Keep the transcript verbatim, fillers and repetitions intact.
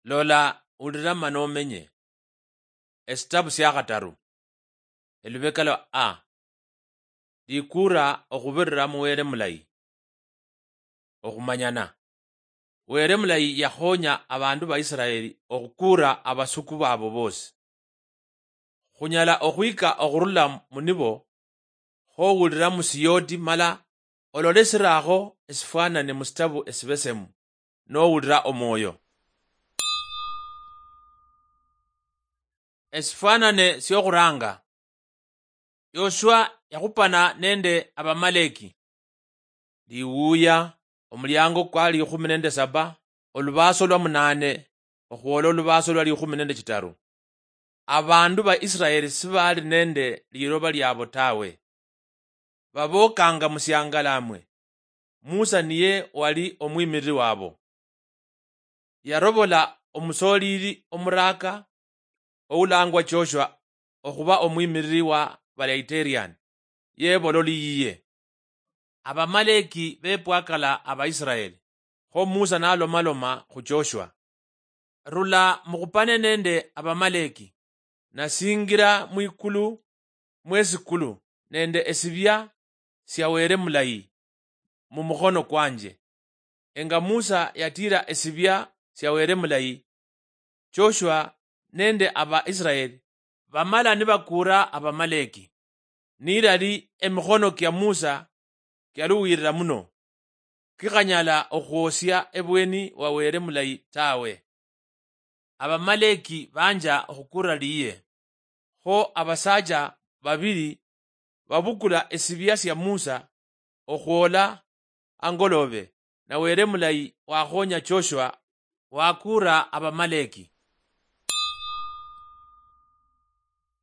Lola, ulira mana omenye. Esitabu sia khataru, elubeka lwa A. Likuura okhubirira mu Wele mulayi. Okhumanyana. Wele mulayi yakhonya abandu ba Isiraeli okhukuura abasuku babo bosi. Khunyala okhwika okhurula mu nibo, khowulira mu siyooti mala olole siraakho esifwanane mu sitabu esibesemu, nowulira omwoyo. Esifwanane siokhuranga. Yoshua yakhupana nende Abamaleki. Liwuya, omuliango kwa likhumi nende saba, olubaaso lwa munaane, okhwola olubaaso lwa likhumi nende chitaru. Abandu ba Israeli sibali nende liloba liabo tawe. Babokanga musiangalamwe. Musa niye wali omwimiriri wabo. Yarobola omusolili omuraka oulangwa Joshua okhuba omwimiriri wa Balaiterian, yebola oli yiye. Abamaleki bepwakala Abaisiraeli, kho Musa nalomaloma khu Joshua, "Rula mukhupane nende Abamaleki, nasingira mwikulu mwesikulu nende esibia sia Wele mulayi mumukhono kwanje." Enga Musa yatira esibia sia Wele mulayi, Joshua nende Abaisiraeli bamala nibakuura Abamaleki. Nilali emikhono kia Musa kialuwirira muno, kikhanyala okhwosia ebweni wa Wele mulayi tawe. Abamaleki banja okhukuura liye. Kho abasaacha babili babukula esibia sia Musa okhwola angolobe, na Wele mulayi wakhonya Joshua wakuura Abamaleki.